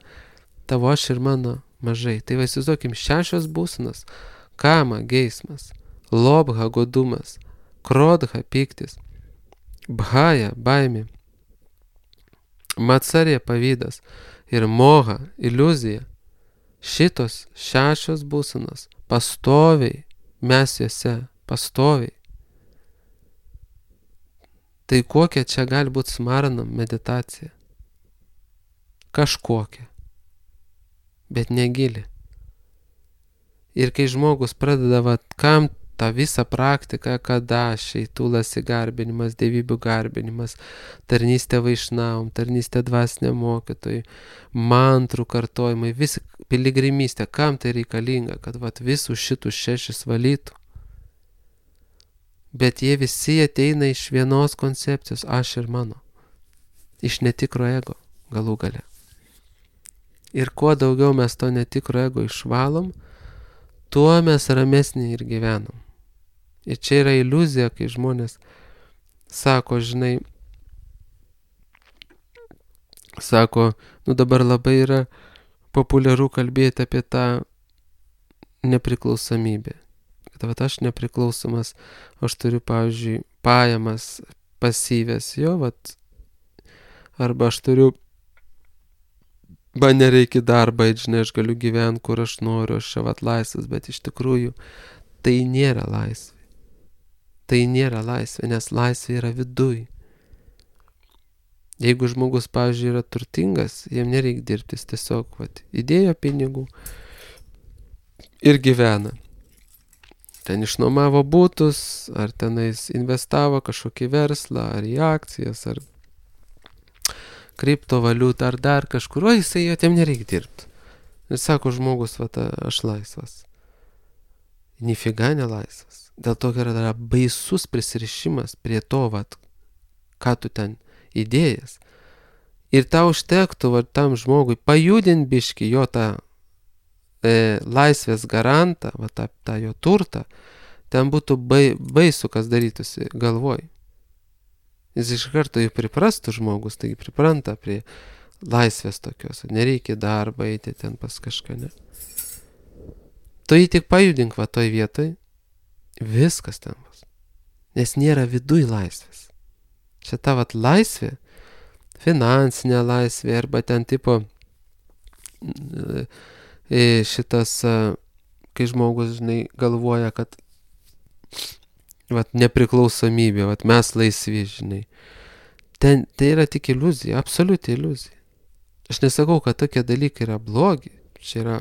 tavo aš ir mano mažai. Tai va įsivaizduokim 6 būsenos. Kama, geismas, lobha, godumas, krodha, pyktis, bhaja, baimė, matsarė, pavydas ir moha, iliuzija. Šitos 6 būsenos pastoviai, mes juose pastoviai. Tai kokia čia gali būti smaranam meditacija? Kažkokia, bet negili. Ir kai žmogus pradeda, kam tą visą praktiką, kadašiai, tulasi garbinimas, dievybių garbinimas, tarnystė vaišnavom, tarnystė dvasiniam mokytojui, mantrų kartojimai, visi piligrimystė, kam tai reikalinga, kad visus šitus 6 valytų. Bet jie visi ateina iš vienos koncepcijos, aš ir mano. Iš netikro ego, galų gale. Ir kuo daugiau mes to netikro ego išvalom, tuo mes ramesnį ir gyvenam. Ir čia yra iliuzija, kai žmonės sako, žinai, dabar labai yra populiaru kalbėti apie tą nepriklausomybę. Kad aš nepriklausomas, aš turiu, pavyzdžiui, pajamas pasyvės, arba aš turiu, man nereikia darbą, žinai, aš galiu gyventi, kur aš noriu, aš čia laisvas, bet iš tikrųjų tai nėra laisvė. Tai nėra laisvė, nes laisvė yra viduj. Jeigu žmogus, pavyzdžiui, yra turtingas, jam nereikia dirbti, jis tiesiog įdėjo pinigų ir gyvena. Ten išnuomavo butus, ar tenais investavo kažkokį verslą, ar į akcijas, ar kriptovaliutą, ar dar kažkur, jisai jam nereikia dirbti. Ir sako žmogus, aš laisvas. Nifiga nelaisvas. Dėl to yra baisus prisirišimas prie to, ką tu ten įdėjęs. Ir tau užtektų tam žmogui pajudinti biškį jo tą laisvės garantą, tą jo turtą, ten būtų baisu, kas darytųsi galvoj. Jis iš karto jau priprastų žmogus, taigi pripranta prie laisvės tokios, nereikia darbą eiti ten pas kažką, ne. Tu jį tik pajudink toj vietoj, viskas ten bus. Nes nėra viduj laisvės. Čia ta vat laisvė, finansinė laisvė arba ten tipo šitas, kai žmogus, žinai, galvoja, kad vat nepriklausomybė, vat mes laisvi, žinai. Tai yra tik iliuzija, absoliuti iliuzija. Aš nesakau, kad tokie dalykai yra blogi. Čia yra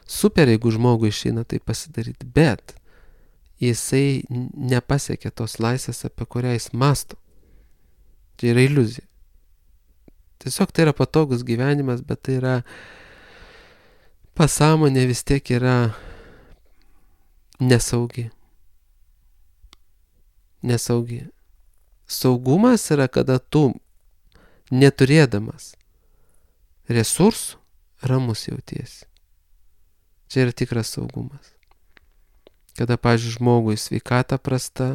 super, jeigu žmogui išeina tai pasidaryti, bet jisai nepasiekia tos laisvės, apie kurią jis masto. Tai yra iliuzija. Tiesiog tai yra patogus gyvenimas, bet tai yra pasąmonė vis tiek yra nesaugi. Nesaugi. Saugumas yra, kada tu, neturėdamas resursų, ramus jautiesi. Čia yra tikras saugumas. Kada, pavyzdžiui, žmogui sveikata prasta,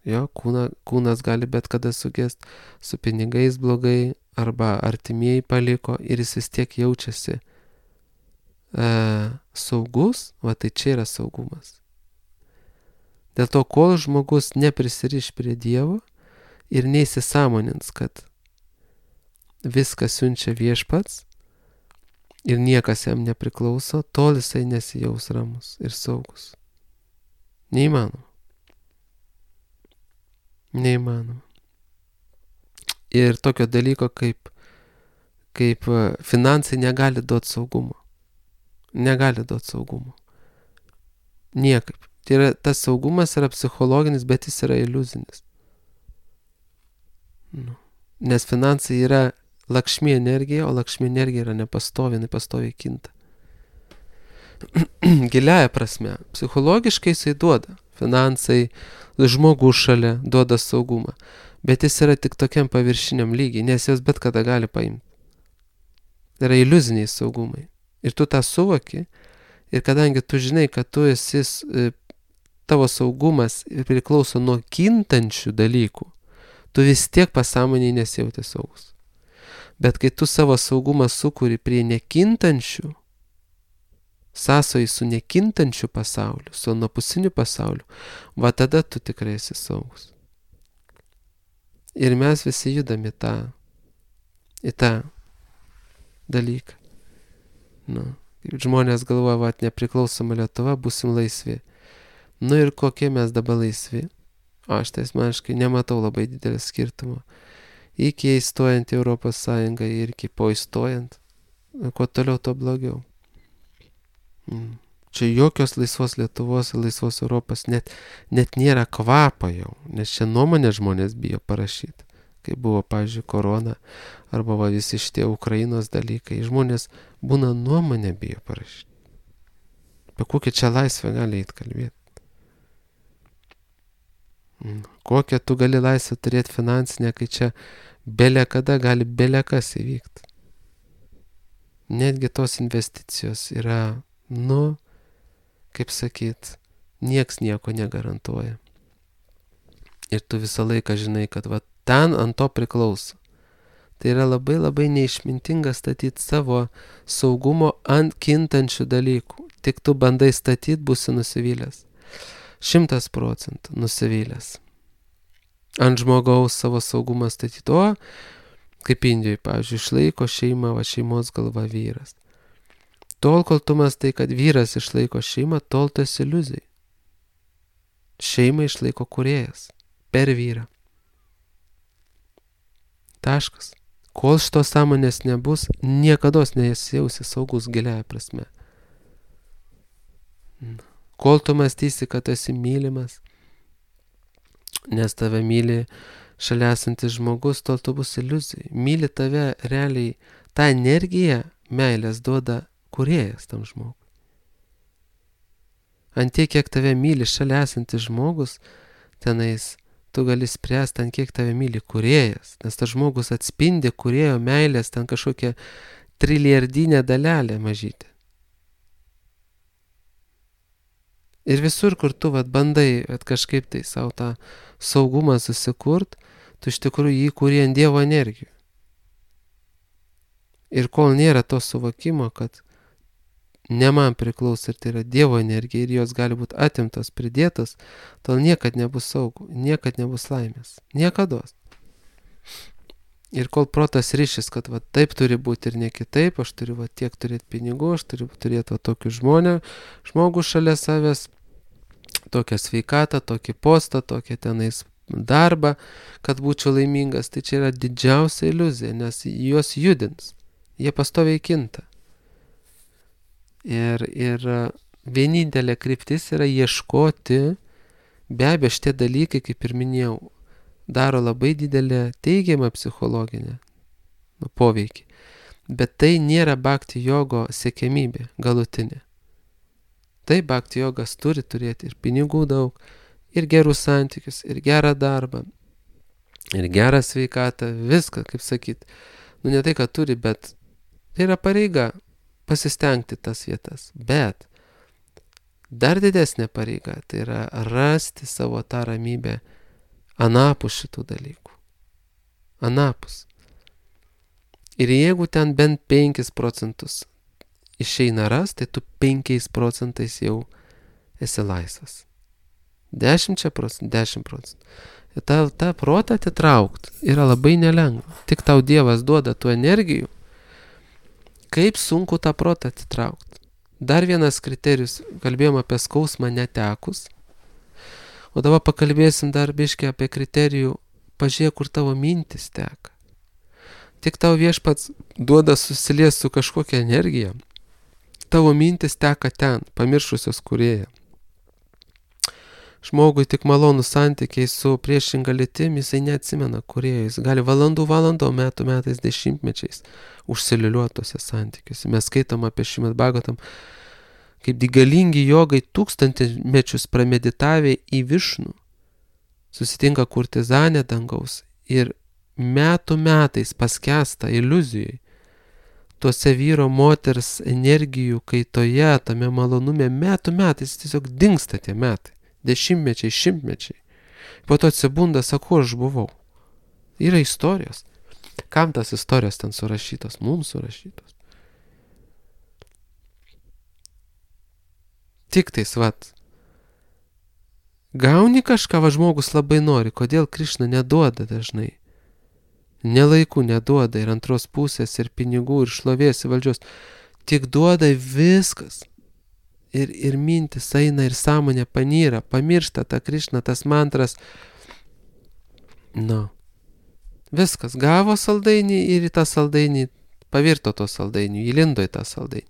jo, kūnas gali bet kada sugest, su pinigais blogai, arba artimieji paliko ir jis vis tiek jaučiasi saugus, va tai čia yra saugumas. Dėl to, kol žmogus neprisiriš prie Dievo ir neįsisąmonins, kad viskas siunčia Viešpats ir niekas jam nepriklauso, tol jisai nesijaus ramus ir saugus. Neįmanoma. Neįmanoma. Ir tokio dalyko kaip finansai negali duoti saugumo. Negali duoti saugumo. Niekaip. Tai yra, tas saugumas yra psichologinis, bet jis yra iliuzinis. Nes finansai yra lakšmi energija, o lakšmi energija yra nepastovi, jinai pastoviai kinta. Giliaja prasme, psichologiškai jisai duoda. Finansai, žmogus šalia duoda saugumą. Bet jis yra tik tokiam paviršiniam lygiai, nes jos bet kada gali paimti. Tai yra iliuziniai saugumai. Ir tu tą suvoki, ir kadangi tu žinai, kad tu esi, tavo saugumas priklauso nuo kintančių dalykų, tu vis tiek pasąmoniai nesijauti saugus. Bet kai tu savo saugumą sukuri prie nekintančių, sąsojai su nekintančiu pasauliu, su anapusiniu pasauliu, va tada tu tikrai esi saugus. Ir mes visi judam į tą dalyką. Žmonės galvoja, va, nepriklausoma Lietuva, būsim laisvi. Ir kokie mes dabar laisvi? Aš tai asmeniškai nematau labai didelio skirtumo. Iki įstojant į Europos Sąjungą ir iki po įstojant, kuo toliau, to blogiau. Čia jokios laisvos Lietuvos ir laisvos Europos net nėra kvapo jau, nes čia nuomonę žmonės bijo parašyti. Kai buvo, pavyzdžiui, korona, arba va visi šitie Ukrainos dalykai, žmonės būna nuomonę bijo parašyti. Apie kokią čia laisvę gali eit kalbėti? Kokią tu gali laisvę turėti finansinę, kai čia belė kada gali belė kas įvykti. Netgi tos investicijos yra, kaip sakyt, nieks nieko negarantuoja. Ir tu visą laiką žinai, kad va ten ant to priklauso. Tai yra labai labai neišmintinga statyti savo saugumo ant kintančių dalykų. Tik tu bandai statyti, būsi nusivylęs. 100% nusivylęs. Ant žmogaus savo saugumą statyti. O, kaip Indijoje, pavyzdžiui, išlaiko šeimą, va šeimos galva vyras. Tol, kol tu mastai, kad vyras išlaiko šeimą, tol tu esi iliuzijai. Šeimą išlaiko kūrėjas per vyrą. Taškas. Kol šitos sąmonės nebus, niekados nesijausi saugus giliaja prasme. Kol tu mąstysi, kad esi mylimas, nes tave myli šalia esantis žmogus, tol tu bus iliuzijai. Myli tave realiai, tą energiją meilės duoda kūrėjas tam žmogui. Ant tiek, kiek tave myli šalia esantis žmogus, tenais tu gali spręsti, ant kiek tave myli kūrėjas, nes tas žmogus atspindi kūrėjo meilės ten kažkokią trilijardinę dalelę mažytę. Ir visur, kur tu bandai kažkaip tai savo tą saugumą susikurt, tu iš tikrųjų jį kūri ant Dievo energijų. Ir kol nėra to suvokimo, kad ne man priklauso ir tai yra Dievo energija ir jos gali būti atimtos, pridėtos, tol niekad nebus saugų, niekad nebus laimės. Niekados. Ir kol protas ryšis, kad va taip turi būti ir ne kitaip, aš turiu va tiek turėti pinigų, aš turiu turėti va tokį žmogų šalia savęs, tokią sveikatą, tokį postą, tokią tenais darbą, kad būčiau laimingas, tai čia yra didžiausia iliuzija, nes juos judins, jie pastoviai kinta. Ir vienintelė kryptis yra ieškoti, be abejo, šitie dalykai, kaip ir minėjau, daro labai didelę teigiamą psichologinę poveikį. Bet tai nėra bhakti jogo siekiamybė galutinė. Tai bhakti jogas turi turėti ir pinigų daug, ir gerus santykius, ir gerą darbą, ir gerą sveikatą, viską, kaip sakyt. Ne tai, kad turi, bet tai yra pareiga pasistengti tas vietas. Bet dar didesnė pareiga, tai yra rasti savo tą ramybę anapus šitų dalykų. Anapus. Ir jeigu ten bent 5% išeina ras, tai tu 5% jau esi laisvas. 10%. Ir tą protą atitraukt yra labai nelengva. Tik tau Dievas duoda tų energijų. Kaip sunku tą protą atitraukt. Dar vienas kriterijus, kalbėjom apie skausmą netekus. O dabar pakalbėsim dar biškį apie kriterijų, pažiūrėk, kur tavo mintis teka. Tik tau Viešpats duoda susilies su kažkokia energija, tavo mintis teka ten, pamiršusios Kūrėją. Žmogui tik malonų santykiai su priešinga lytim, jisai neatsimena Kūrėjo, jis gali valandų, metais, dešimtmečiais užsiliuliuotose santykiuose. Mes skaitom apie Šrimad Bhagavatam, kaip galingi jogai tūkstantmečius prameditavę į Višnų, susitinka kurtizanė dangaus ir metais paskęsta iliuzijai, tuose vyro moters energijų kaitoje, tame malonume, metais tiesiog dingsta tie metai, dešimtmečiai, šimtmečiai. Po to atsibunda, sako, aš buvau. Yra istorijos. Kam tas istorijos ten surašytos? Mums surašytos. Tik tais, gauni kažką, žmogus labai nori, kodėl Krišna neduoda dažnai. Nelaiku neduoda ir antros pusės, ir pinigų, ir šlovės, ir valdžios. Tik duoda viskas. Ir mintis eina, ir sąmonė panyra, pamiršta tą Krišną, tas mantras. Viskas, gavo saldainį ir į tą saldainį pavirto to saldainį, įlindo į tą saldainį.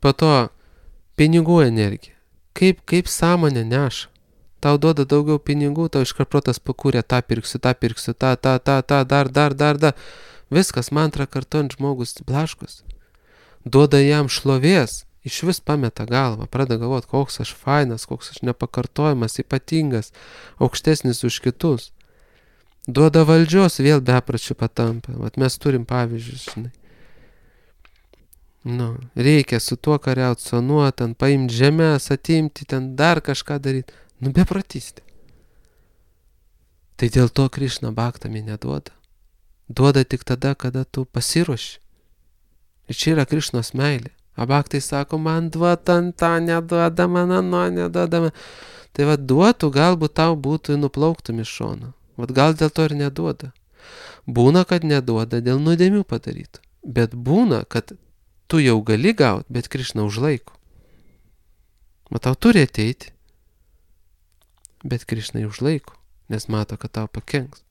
Po to pinigų energija. Kaip sąmonė neša. Tau duoda daugiau pinigų, tau iškart protas pakūrė, tą pirksiu, dar. Viskas mantrą kartuojant žmogus blaškos. Duoda jam šlovės, iš vis pameta galvą, pradeda galvoti, koks aš fainas, koks aš nepakartojamas, ypatingas, aukštesnis už kitus. Duoda valdžios, vėl bepračių patampa. Mes turim pavyzdžius, žinai. Reikia su tuo kariauti, su anuo, ten paimti žemės, atimti, ten dar kažką daryti. Bepratystė. Tai dėl to Krišna bhaktami neduoda. Duoda tik tada, kada tu pasiruoši. Ir čia yra Krišnos meilė. Bhaktai sako, man duota, tą neduoda, man ano neduoda. Tai duotų, galbūt tau būtų nuplauktum iš šono. Gal dėl to ir neduoda. Būna, kad neduoda dėl nuodėmių padarytų. Bet būna, kad tu jau gali gauti, bet Krišna užlaiko. Tau turi ateiti, bet Krišna užlaiko, nes mato, kad tau pakenks.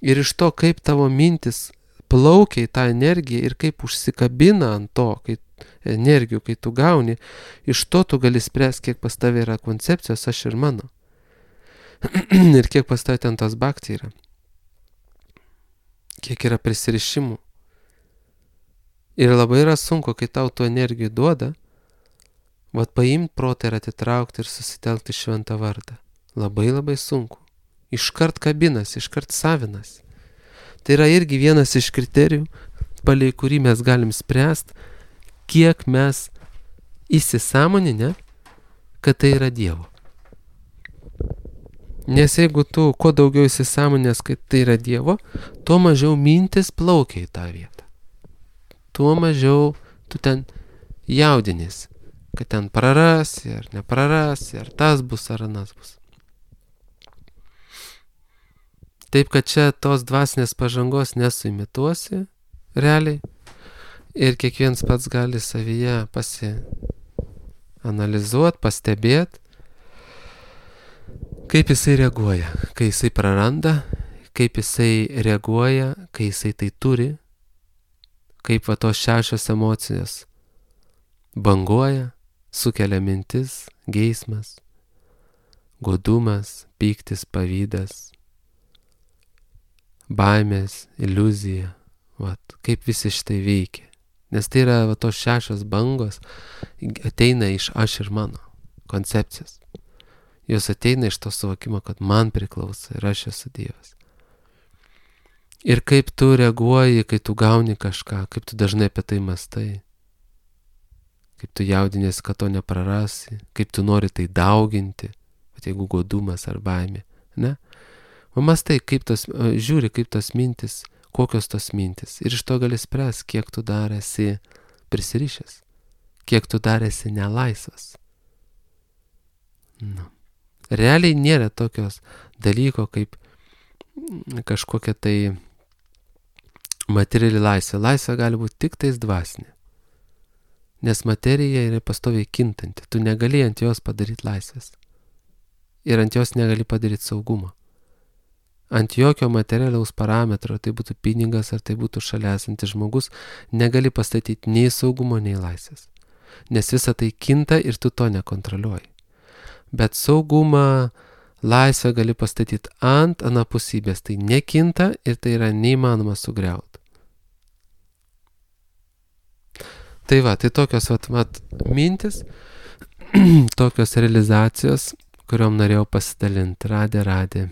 Ir iš to, kaip tavo mintis plaukia į tą energiją ir kaip užsikabina ant to, energijų, kai tu gauni, iš to tu gali spręsti, kiek pas tave yra koncepcijos, aš ir mano. Ir kiek pas tave ten tos bhakti yra. Kiek yra prisirišimų. Ir labai yra sunku, kai tau tų energijų duoda, paimti protą ir atitraukti ir susitelkti šventą vardą. Labai sunku. Iškart kabinas, iškart savinas. Tai yra irgi vienas iš kriterijų, palei kurį mes galim spręsti, kiek mes įsisąmoninę, kad tai yra Dievo. Nes jeigu tu kuo daugiau įsisąmoninęs, kad tai yra Dievo, tuo mažiau mintis plaukia į tą vietą. Tuo mažiau tu ten jaudinės, kad ten prarasi ar neprarasi, ar tas bus, ar anas bus. Taip, kad čia tos dvasinės pažangos nesuimituosi realiai ir kiekvienas pats gali savyje pasianalizuoti, pastebėti, kaip jisai reaguoja, kai jisai praranda, kaip jisai reaguoja, kai jisai tai turi, kaip va tos 6 emocijos banguoja, sukelia mintis, geismas, godumas, pyktis, pavydas, baimės, iliuzija, kaip visi šitai veikia. Nes tai yra va tos 6 bangos, ateina iš aš ir mano koncepcijos. Jos ateina iš to suvokimo, kad man priklauso ir aš esu Dievas. Ir kaip tu reaguoji, kai tu gauni kažką, kaip tu dažnai apie tai mastai, kaip tu jaudinėsi, kad to neprarasi, kaip tu nori tai dauginti, bet jeigu godumas ar baimė, ne? Mastai, kaip tos, žiūri, kaip tos mintis, kokios tos mintis. Ir iš to gali spręs, kiek tu dar esi prisirišęs, kiek tu dar esi nelaisvas. Realiai nėra tokios dalyko kaip kažkokia tai materiali laisvė. Laisvė gali būti tik tais dvasinė. Nes materija yra pastoviai kintanti. Tu negali ant jos padaryti laisvės. Ir ant jos negali padaryti saugumo. Ant jokio materialiaus parametro, tai būtų pinigas ar tai būtų šalia esantis žmogus, negali pastatyti nei saugumo, nei laisvės. Nes visa tai kinta ir tu to nekontroliuoji. Bet saugumą, laisvę gali pastatyti ant anapusybės. Tai nekinta ir tai yra neįmanoma sugriauti. Tai va, tai tokios mintis, tokios realizacijos, kuriom norėjau pasidalinti. Radė.